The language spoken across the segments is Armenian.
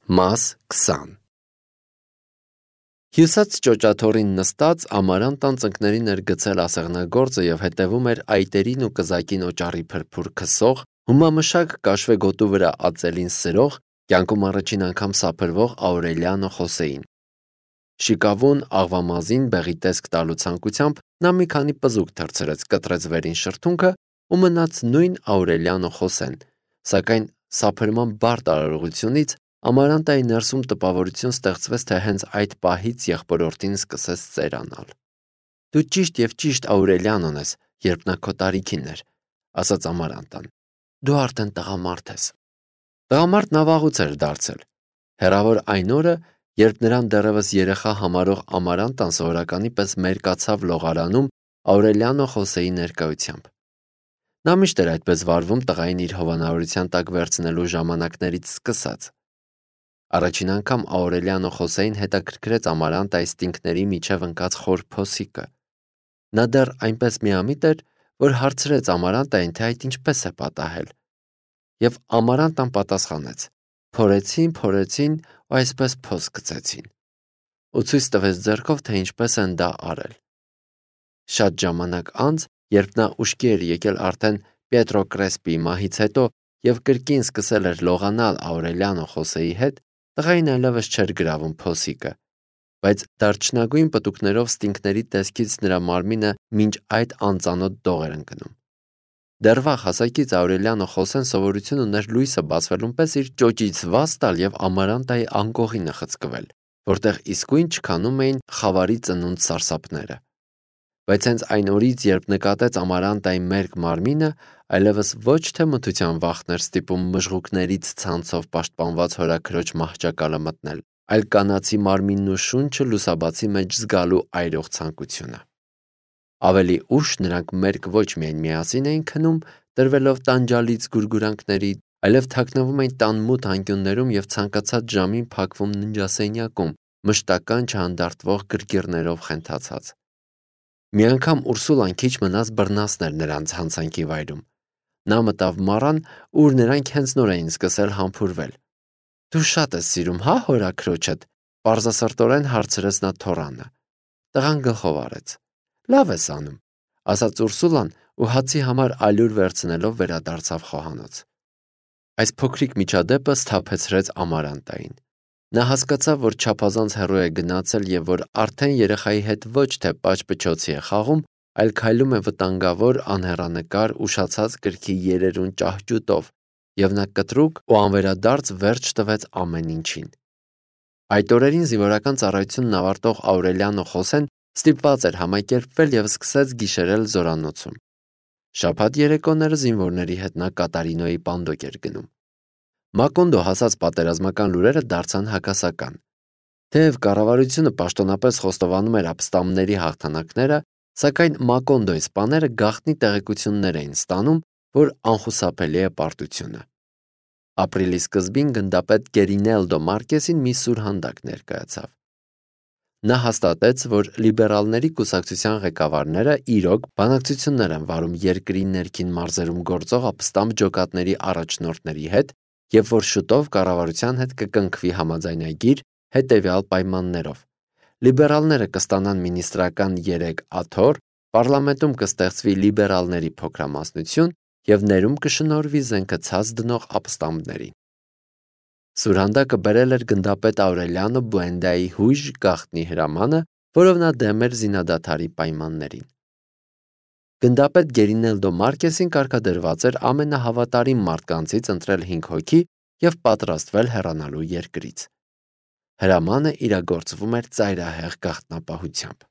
Մաս 20 Հյուսած ճոճաթոռին նստած Ամարանտան ծնկներին էր գցել ասեղնագործը և հետևում էր այտերին ու կզակին օճառի փրփուր քսող, հումամշակ կաշվե գոտու վրա ածելին սրող, կյանքում առաջին անգամ սափրվող Աուրելիանո Խոսեին։ Շիկավուն աղվամազին բեղի տեսք տալու ցանկությամբ նա մի քանի պզուկ թռցրեց, կտրեց վերին շրթունքը ու մնաց նույն Աուրելիանո Խոսեն, սակայն սափրման բարդ արարողությունից Ամարանտայի ներսում տպավորություն ստեղծվեց, թե հենց այդ պահից եղբորորդին սկսեց ծերանալ։ «Դու ճիշտ և ճիշտ Աուրելիանոն ես, երբ նա քո տարիքին էր», ասաց Ամարանտան։ «Դու արդեն տղամարդ ես»։ Տղամարդն վաղուց էր դարձել։ Հեռավոր այն օրը, երբ նրան դեռևս երեխա համարող Ամարանտան սովորականի պես մերկացավ լողարանում Աուրելիանո Խոսեի ներկայությամբ։ Նա միշտ էր այդպես վարվում տղային իր հովանավորության տակ վերցնելու ժամանակներից սկսած։ Առաջին անգամ Աուրելիանո Խոսեին հետաքրքրեց Ամարանտայի ստինքների միջև ընկած խոր փոսիկը։ Նա դեռ այնպես միամիտ էր, որ հարցրեց Ամարանտային, թե այդ ինչպես է պատահել։ Եվ Ամարանտան պատասխանեց. փորեցին ու այսպես փոս գցեցին։ Ու ցույց տվեց ձեռքով, թե ինչպես են դա արել։ Շատ ժամանակ անց, երբ նա ուշքի էր եկել արդեն Պետրո Կրեսպիի մահից հետո և կրկին սկսել էր լողանալ Աուրելիանո Խոսեի հետ, տղային այլևս չէր գրավում փոսիկը, բայց դարչնագույն պտուկներով ստինքների տեսքից նրա մարմինը մինչ այդ անծանոթ դող էր ընկնում։ Դեռ վաղ հասակից Աուրելիանո Խոսեն սովորություն ուներ լույսը բացվելուն պես իր ճոճից վազ տալ և Ամարանտայի անկողինը խցկվել, որտեղ իսկույն չքանում էին խավարի ծնունդ սարսափները։ Բայց հենց այն օրից, երբ նկատեց Ամարանտայի մերկ մարմինը, այլևս ոչ թե մթության վախն էր ստիպում մժղուկներից ցանցով պաշտպանված հորաքրոջ մահճակալը մտնել, այլ կանացի մարմինն ու շունչը լուսաբացի մեջ զգալու այրող ցանկությունը։ Ավելի ուշ նրանք մերկ ոչ միայն միասին էին քնում, տրվելով տանջալից գուրգուրանքների, այլև թաքնվում էին տան մութ անկյուններում և ցանկացած ժամին փակվում ննջասենյակում, մշտական չհանդարտվող գրգիռներով խենթացած։ Մի անգամ Ուրսուլան քիչ մնաց բռնացներ նրանց հանցանքի վայրում։ Նա մտավ մառան, ուր նրանք հենց նոր էին սկսել համբուրվել։ «Դու շատ ես սիրում, հա, հորաքրոջդ», պարզասրտորեն հարցրեց նա թոռանը։ Տղան գլխով արեց։ «Լավ ես անում», ասաց Ուրսուլան ու հացի համար ալյուր վերցնելով վերադարձավ խոհանոց։ Այս փոքրիկ միջադեպը սթափեցրեց Ամարանտային։ Նա հասկացավ, որ չափազանց հեռու է գնացել և որ արդեն երեխայի հետ ոչ թե պաճ-պչոցի է խաղում, այլ քայլում է վտանգավոր, անհեռանկար, ուշացած կրքի երերուն ճահճուտով, և նա կտրուկ ու անվերադարձ վերջ տվեց ամեն ինչին։ Այդ օրերին զինվորական ծառայությունն ավարտող Աուրելիանո Խոսեն ստիպված էր համակերպվել և սկսեց գիշերել զորանոցում։ Շաբաթ երեկոները զինվորների հետ նա Կատարինոյի պանդոկ էր գնում։ Մակոնդո հասած պատերազմական լուրերը դարձան հակասական։ Թեև կառավարությունը պաշտոնապես խոստովանում էր ապստամբների հաղթանակները, սակայն Մակոնդոյի սպաները գաղտնի տեղեկություններ էին ստանում, որ անխուսափելի է պարտությունը։ Ապրիլի սկզբին գնդապետ Գերինելդո Մարկեսին մի սուրհանդակ ներկայացավ։ Նա հաստատեց, որ լիբերալների կուսակցության ղեկավարները իրոք բանակցություններ են վարում երկրի ներքին մարզերում գործող ապստամբ ջոկատների առաջնորդների հետ և որ շուտով կառավարության հետ կկնքվի համաձայնագիր հետևյալ պայմաններով. լիբերալները կստանան մինիստրական 3 աթոռ, պարլամենտում կստեղծվի լիբերալների փոքրամասնություն և ներում կշնորհվի զենքը ցած դնող ապստամբներին։ Սուրհանդակը բերել էր գնդապետ Աուրելիանո Բուենդայի հույժ գաղտնի հրամանը, որով նա դեմ էր զինադադարի պայմաններին։ Գնդապետ Գերինելդո Մարկեսին կարգադրված էր ամենահավատարիմ մարդկանցից ընտրել 5 հոգի և պատրաստվել հեռանալու երկրից։ Հրամանը իրագործվում էր ծայրահեղ գաղտնապահությամբ։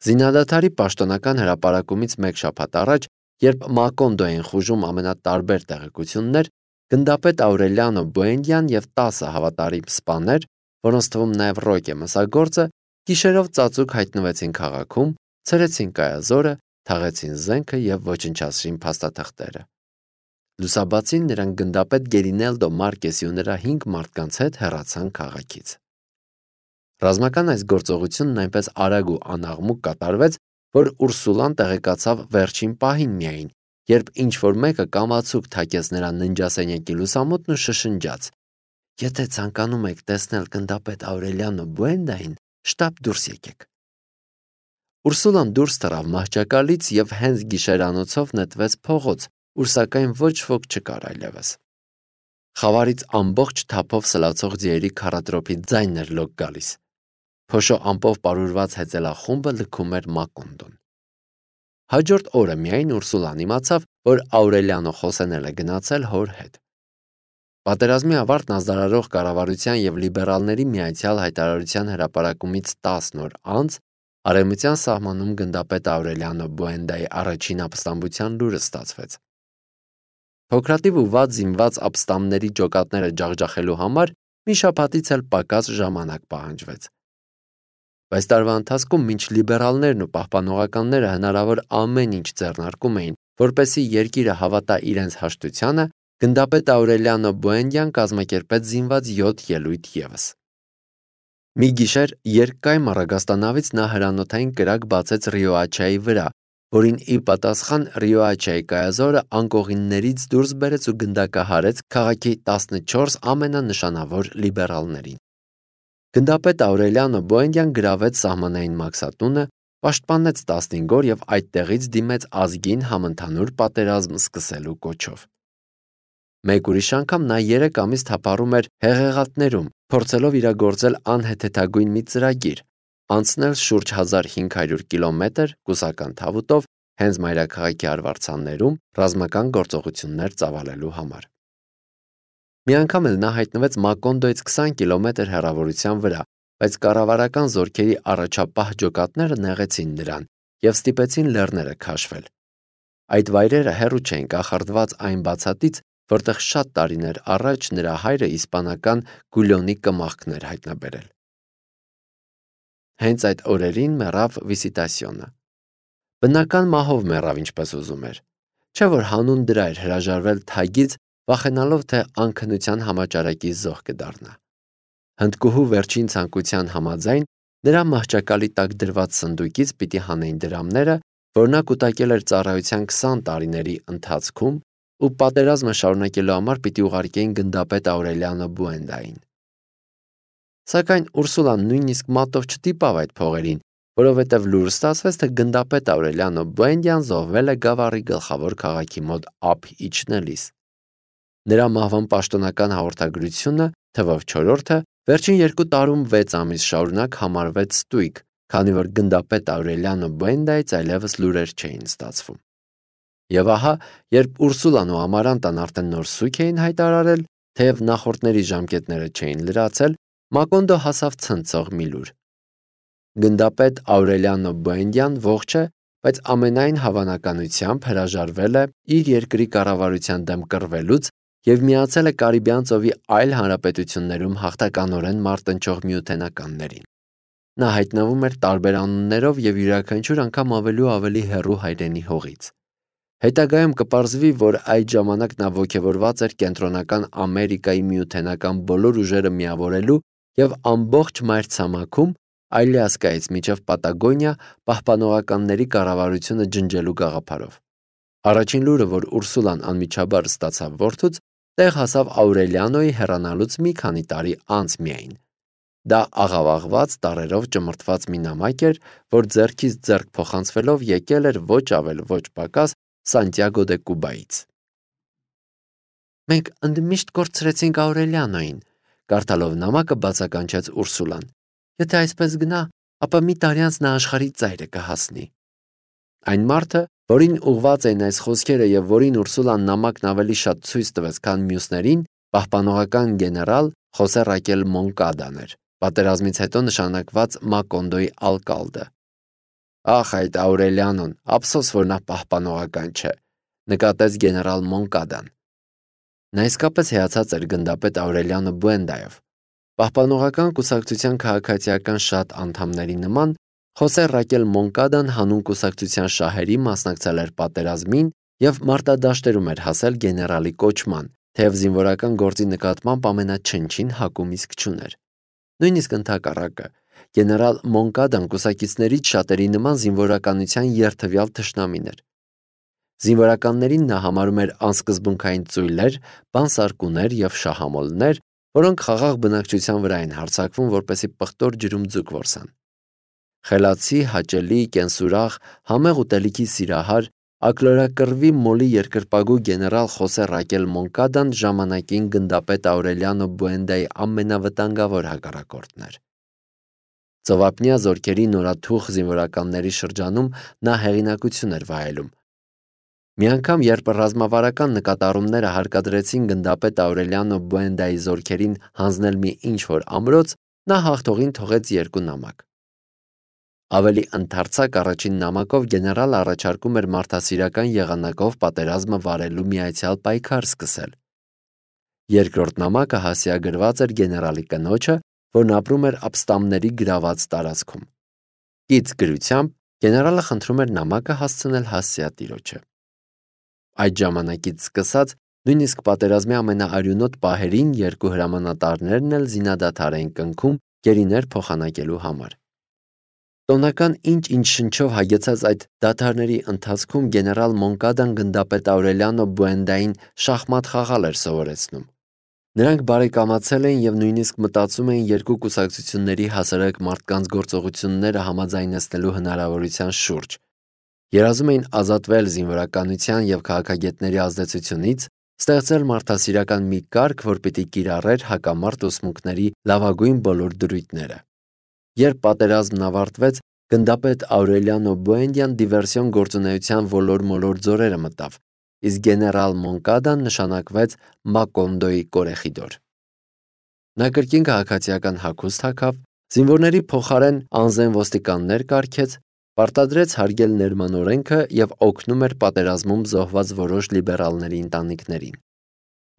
Զինադադարի պաշտոնական հրապարակումից մեկ շաբաթ առաջ, երբ Մակոնդո էին խուժում ամենատարբեր տեղեկություններ, գնդապետ Աուրելիանո Բուենդյան և 10 հավատարիմ սպաներ, որոնց թվում նաև Ռոկե Մսագործը, գիշերով ծածուկ հայտնվեցին քաղաքում, ցրեցին կայազորը, թաղեցին զենքը և ոչնչացրին փաստաթղթերը։ Լուսաբացին նրանք գնդապետ Գերինելդո Մարկեսի ու նրա 5 մարդկանց հետ հեռացան քաղաքից։ Ռազմական այս գործողությունն այնպես արագ ու անաղմուկ կատարվեց, որ Ուրսուլան տեղեկացավ վերջին պահին միայն, երբ ինչ-որ մեկը կամացուկ թակեց նրա ննջասենյակի լուսամուտն ու շշնջաց. Եթե ցանկանում եք տեսնել գնդապետ Աուրելիանո Բուենդային, շտապ դուրս եկեք։ Ուրսուլան դուրս թռավ մահճակալից և հենց գիշերանոցով նետվեց փողոց, ուր սակայն ոչ ոք չկար այլևս։ Խավարից ամբողջ թափով սլացող ձիերի քառատրոփի ձայնն էր լոկ գալիս։ Փոշո ամպով պարուրված հեծելախումբը լքում էր Մակոնդոն։ Հաջորդ օրը միայն Ուրսուլան իմացավ, որ Աուրելիանո Խոսենել է գնացել հոր հետ։ Պատերազմի ավարտն ազդարարող կառավարության և լիբերալների միացյալ հայտարարության հրապարակումից 10 օր անց արևմտյան սահմանում գնդապետ Աուրելիանո Բուենդայի առաջին ապստամբության լուրը ստացվեց։ Փոքրաթիվ ու վատ զինված ապստամբների ջոկատները ջախջախելու համար մի շաբաթից էլ պակաս ժամանակ պահանջվեց։ Բայց տարվա ընթացքում մինչ լիբերալներն ու պահպանողականները հնարավոր ամեն ինչ ձեռնարկում էին, որպեսզի երկիրը հավատա իրենց հաշտությանը, գնդապետ Աուրելիանո Բուենդյան կազմակերպեց զինված 7 ելույթ ևս։ Մի գիշեր երկկայմ առագաստանավից նա հրանոթային կրակ բացեց Ռիոաչայի վրա, որին ի պատասխան Ռիոաչայի կայազորը անկողիններից դուրս բերեց ու գնդակահարեց քաղաքի 14 ամենանշանավոր լիբերալներին։ Գնդապետ Աուրելիանո Բուենդյան գրավեց սահմանային մաքսատունը, պաշտպանեց 15 օր և այդտեղից դիմեց ազգին համընդհանուր պատերազմ սկսելու կոչով։ Մեկ ուրիշ անգամ նա 3 ամիս թափառում էր հեղեղատներում, փորձելով իրագործել անհեթեթագույն մի ծրագիր, անցնել շուրջ 1500 կիլոմետր կուսական թավուտով հենց մայրաքաղաքի արվարձաններում ռազմական գործողություններ ծավալելու համար։ Մի անգամ էլ նա հայտնվեց Մակոնդոյից 20 կիլոմետր հեռավորության վրա, բայց կառավարական զորքերի առաջապահ ջոկատները նեղեցին նրան և ստիպեցին լեռները քաշվել։ Այդ վայրերը հեռու չէին կախարդված այն բացատից, որտեղ շատ տարիներ առաջ նրա հայրը իսպանական Գուլյոնի կմախքն էր հայտնաբերել։ Հենց այդ օրերին մեռավ Վիսիտասիոնը։ Բնական մահով մեռավ, ինչպես ուզում էր, չէ՞ որ հանուն դրա էր հրաժարվել թագից, վախենալով, թե անքնության համաճարակի զոհ կդառնա։ Հնդկուհու վերջին ցանկության համաձայն նրա մահճակալի տակ դրված սնդուկից պիտի հանեին դրամները, որ նա կուտակել էր ծառայության 20 տարիների ընթացքում ու պատերազմը շարունակելու համար պիտի ուղարկեին գնդապետ Աուրելիանո Բուենդային։ Սակայն Ուրսուլան նույնիսկ մատով չտիպավ այդ փողերին, որովհետև լուր ստացվեց, թե գնդապետ Աուրելիանո Բուենդյան զոհվել է Գավառի գլխավոր քաղաքի մոտ ափ իջնելիս։ Նրա մահվան պաշտոնական հաղորդագրությունը, թվով 4-ը, վերջին 2 տարում 6 ամիս շարունակ համարվեց ստույգ, քանի որ գնդապետ Աուրելիանո Բուենդայից այլևս լուրեր չէին ստացվում։ Եվ ահա, երբ Ուրսուլան ու Ամարանտան արդեն նոր սուգ էին հայտարարել, թեև նախորդների ժամկետները չէին լրացել, Մակոնդո հասավ ցնցող մի լուր։ Գնդապետ Աուրելիանո Բուենդյան ողջ է, բայց ամենայն հավանականությամբ հրաժարվել է իր երկրի կառավարության դեմ կռվելուց և միացել է Կարիբյան ծովի այլ հանրապետություններում հաղթականորեն մարտնչող միութենականներին։ Նա հայտնվում էր տարբեր անուններով և յուրաքանչյուր անգամ ավելի ու ավելի հեռու հայրենի հողից։ Հետագայում կպարզվի, որ այդ ժամանակ նա ոգևորված էր Կենտրոնական Ամերիկայի միութենական բոլոր ուժերը միավորելու և ամբողջ մայրցամաքում Ալյասկայից մինչև Պատագոնիա պահպանողականների կառավարությունը ջնջելու գաղափարով։ Առաջին լուրը, որ Ուրսուլան անմիջաբար ստացավ որդուց, տեղ հասավ Աուրելիանոյի հեռանալուց մի քանի տարի անց միայն։ Դա աղավաղված, տարրերով ճմրթված մի նամակ էր, որ ձեռքից ձեռք փոխանցվելով եկել էր ոչ ավել ոչ պակաս Սանտիագո դե Կուբայից։ Մենք ընդմիշտ կորցրեցինք Աուրելիանոյին, կարդալով նամակը բացականչեց Ուրսուլան։ Եթե այսպես գնա, ապա մի տարի անց նա աշխարհի ծայրը կհասնի։ Այն մարդը, որին ուղված էին այս խոսքերը և որին Ուրսուլան նամակն ավելի շատ ցույց տվեց, քան մյուսներին, պահպանողական գեներալ Խոսե Ռակել Մոնկադան էր, պատերազմից հետո նշանակված Մակոնդոյի ալկալդը։ Ախ, այդ Աուրելիանոն, ափսոս, որ նա պահպանողական չէ, նկատեց գեներալ Մոնկադան։ Նա իսկապես հիացած էր գնդապետ Աուրելիանո Բուենդայով։ Պահպանողական կուսակցության քաղաքացիական շատ անդամների նման Խոսե Ռակել Մոնկադան հանուն կուսակցության շահերի մասնակցել էր պատերազմին և մարտադաշտերում էր հասել գեներալի կոչման, թեև զինվորական գործի նկատմամբ ամենաչնչին հակում իսկ չուներ։ Նույնիսկ ընդհակառակը, գեներալ Մոնկադան կուսակիցներից շատերի նման զինվորականության երդվյալ թշնամին էր։ Զինվորականներին նա համարում էր անսկզբունքային ծույլեր, բանսարկուներ և շահամոլներ, որոնք խաղաղ բնակչության վրա են հարձակվում, որպեսզի պղտոր ջրում ձուկ որսան։ Խելացի, հաճելի, կենսուրախ, համեղ ուտելիքի սիրահար, ակլորակռվի մոլի երկրպագու գեներալ Խոսե Ռակել Մոնկադան ժամանակին գնդապետ Աուրելիանո Բուենդայի ամենավտանգավոր հակառակորդն էր։ Ծովափնյա զորքերի նորաթուխ զինվորականների շրջանում նա հեղինակություն էր վայելում։ Մի անգամ, երբ ռազմավարական նկատառումները հարկադրեցին գնդապետ Աուրելիանո Բուենդայի զորքերին հանձնել մի ինչ-որ ամրոց, նա հաղթողին թողեց 2 նամակ։ Ավելի ընդարձակ առաջին նամակով գեներալը առաջարկում էր մարդասիրական եղանակով պատերազմը վարելու միացյալ պայքար սկսել։ Երկրորդ նամակը հասցեագրված էր գեներալի կնոջը, որն ապրում էր ապստամբների գրաված տարածքում։ Կից գրությամբ գեներալը խնդրում էր նամակը հասցնել հասցեատիրոջը։ Այդ ժամանակից սկսած, նույնիսկ պատերազմի ամենաարյունոտ պահերին 2 հրամանատարներն էլ զինադադար էին կնքում գերիներ փոխանակելու համար։ Տոնական ինչ-ինչ շնչով հագեցած այդ դադարների ընթացքում գեներալ Մոնկադան գնդապետ Աուրելիանո Բուենդային շախմատ խաղալ էր սովորեցնում։ Նրանք բարեկամացել էին եւ նույնիսկ մտածում էին երկու կուսակցությունների հասարակ մարդկանց գործողությունները համաձայնեցնելու հնարավորության շուրջ։ Երազում էին ազատվել զինվորականության եւ քաղաքագետների ազդեցությունից, ստեղծել մարդասիրական մի կարգ, որ պիտի կիրառեր հակամարտ ուսմունքների լավագույն բոլոր դրույթները։ Երբ պատերազմն ավարտվեց, գնդապետ Աուրելիանո Բուենդյան դիվերսիոն գործունեության ոլոր-մոլոր ձորերը մտավ, իսկ գեներալ Մոնկադան նշանակվեց Մակոնդոյի կորեխիդոր։ Նա կրկին քաղաքացիական հագուստ հագավ, զինվորների փոխարեն անզեն ոստիկաններ կարգեց, պարտադրեց հարգել ներմանօրենքը եւ օգնում էր պատերազմում զոհված որոշ լիբերալների ընտանիքներին։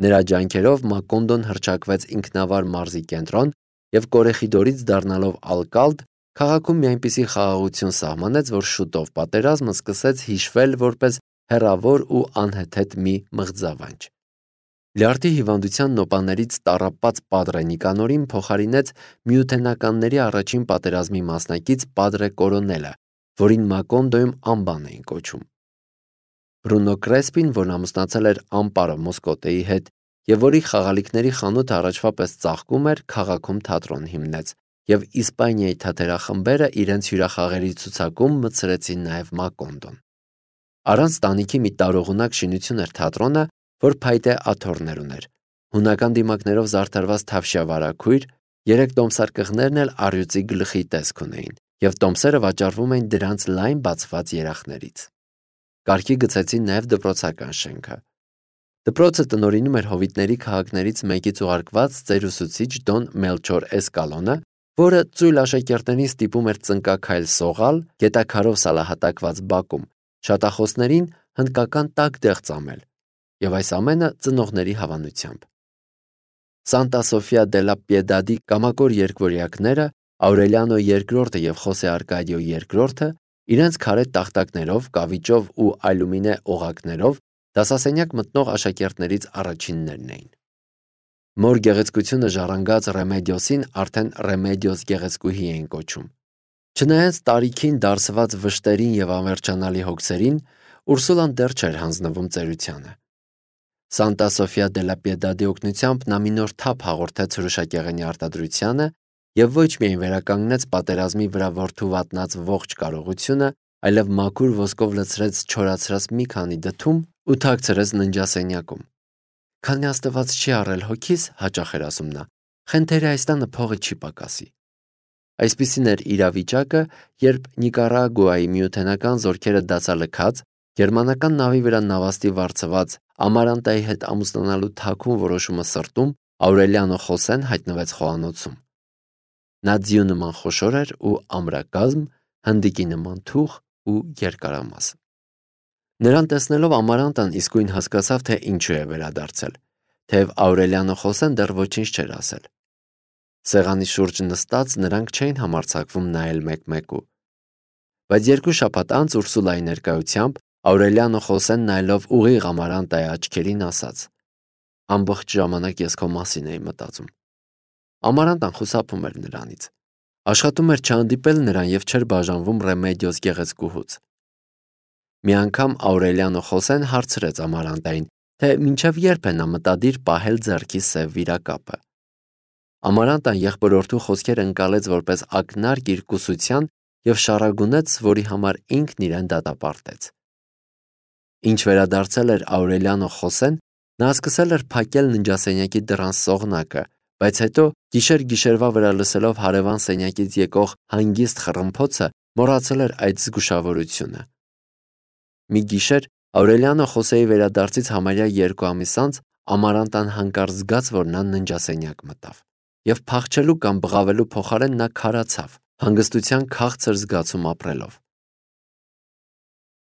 Նրա ջանքերով Մակոնդոն հռչակվեց ինքնավար մարզի կենտրոն եւ կորեխիդորից դառնալով ալկալդ, քաղաքում մի այնպիսի խաղաղություն սահմանեց, որ շուտով պատերազմը սկսեց հիշվել որպես հեռավոր ու անհեթեթ մի մղձավանջ։ Լյարդի հիվանդության նոպաներից տառապած Պադրե Նիկանորին փոխարինեց միութենականների առաջին պատերազմի մասնակից Պադրե Կորոնելը, որին Մակոնդոյում անբան էին կոչում։ Բրունո Կրեսպին, որն ամուսնացել էր Ամպարո Մոսկոտեի հետ եւ որի խաղալիքների խանութը առաջվա պես ծաղկում էր, քաղաքում թատրոն հիմնեց, եւ Իսպանիայի թատերախմբերը իրենց հյուրախաղերի ցուցակում մտցրեցին նաեւ Մակոնդոն։ Առանց տանիքի մի տարողունակ շինություն էր թատրոնը, որ փայտե աթոռներ ուներ։ Հունական դիմակներով զարդարված թավշյա վարագույր, 3 տոմսարկղներն էլ առյուծի գլխի տեսք ունեին, եւ տոմսերը վաճառվում էին դրանց լայն բացված երախներից։ Կարգի գցեցին նաեւ դպրոցական շենքը։ Դպրոցը տնօրինում էր հովիտների քաղաքներից մեկից ուղարկված ծերուսուցիչ Դոն Մելչոր Էսկալոնը, որը ծույլ աշակերտներին ստիպում էր ծնկաքայլ սողալ, գետաքարով սալահատակված բակում, շատախոսներին հնդկական տաք դեղ ծամել, եւ այս ամենը ծնողների հավանությամբ։ Սանտա Սոֆիա դե լա Պիեդադի կամակոր երկվորյակները, Աուրելիանո II եւ Խոսե Արկադիո II, իրենց քարե տախտակներով, կավիճով ու ալյումինե օղակներով դասասենյակ մտնող աշակերտներից առաջիններն էին։ Մոր գեղեցկությունը ժառանգած Ռեմեդիոսին արդեն Ռեմեդիոս գեղեցկուհի էին կոչում։ Չնայած տարիքին դարսված վշտերին եւ անվերջանալի հոգսերին, Ուրսուլան դեռ չէր հանձնվում ծերությանը։ Սանտա Սոֆիա դե լա Պիեդադի օգնությամբ նա մի նոր թափ հաղորդեց հրուշակեղենի արտադրությանը եւ ոչ միայն վերականգնեց պատերազմի վրա որդու վատնած ողջ կարողությունը, այլև մաքուր ոսկով լցրեց չորացրած մի քանի դդում ու թաքցրեց ննջասենյակում։ Քանի Աստված չի առել հոգիս, հաճախ էր ասում նա, խենթերի այս տանը փողը չի պակասի։ Այսպիսին էր իրավիճակը, երբ Նիկարագուայի միութենական զորքերը դասալքած, գերմանական նավի վրա նավաստի վարձված Ամարանտայի հետ ամուսնանալու թաքուն որոշումը սրտում, Աուրելիանո Խոսեն հայտնվեց խոհանոցում։ Նա ձիու նման խոշոր էր ու ամրակազմ, հնդիկի նման թուխ ու երկարամաս։ Նրան տեսնելով Ամարանտան իսկույն հասկացավ, թե ինչու է վերադարձել, թեև Աուրելիանո Խոսեն դեռ ոչինչ չէր ասել։ Սեղանի շուրջ նստած նրանք չէին համարձակվում նայել մեկ-մեկու։ Բայց 2 շաբաթ անց Ուրսուլայի ներկայությամբ Աուրելիանո Խոսեն նայելով ուղիղ Ամարանտայի աչքերին ասաց. «Ամբողջ ժամանակ ես քո մասին էի մտածում»։ Ամարանտան խուսափում էր նրանից։ Աշխատում էր չհանդիպել նրան եւ չէր բաժանվում Ռեմեդիոս գեղեցկուհուց։ Մի անգամ Աուրելիանո Խոսեն հարցրեց Ամարանտային, թե մինչև երբ է նա մտադիր պահել ձեռքի սև վիրակապը։ Ամարանտան եղբորորդու խոսքերը ընկալեց որպես ակնարկ իր կուսության և շառագունեց, որի համար ինքն իրեն դատապարտեց։ Ինչ վերադարձել էր Աուրելիանո Խոսեն, նա սկսել էր փակել ննջասենյակի դռան սողնակը, բայց հետո գիշեր-գիշերվա վրա լսելով հարևան սենյակից եկող հանգիստ խռմփոցը, մոռացել էր այդ զգուշավորությունը։ Մի գիշեր Աուրելիանո Խոսեի վերադարձից համարյա 2 ամիս անց Ամարանտան հանկարծ զգաց, որ նա ննջասենյակ մտավ, և փախչելու կամ բղավելու փոխարեն նա քարացավ, հանգստության քաղցր զգացում ապրելով։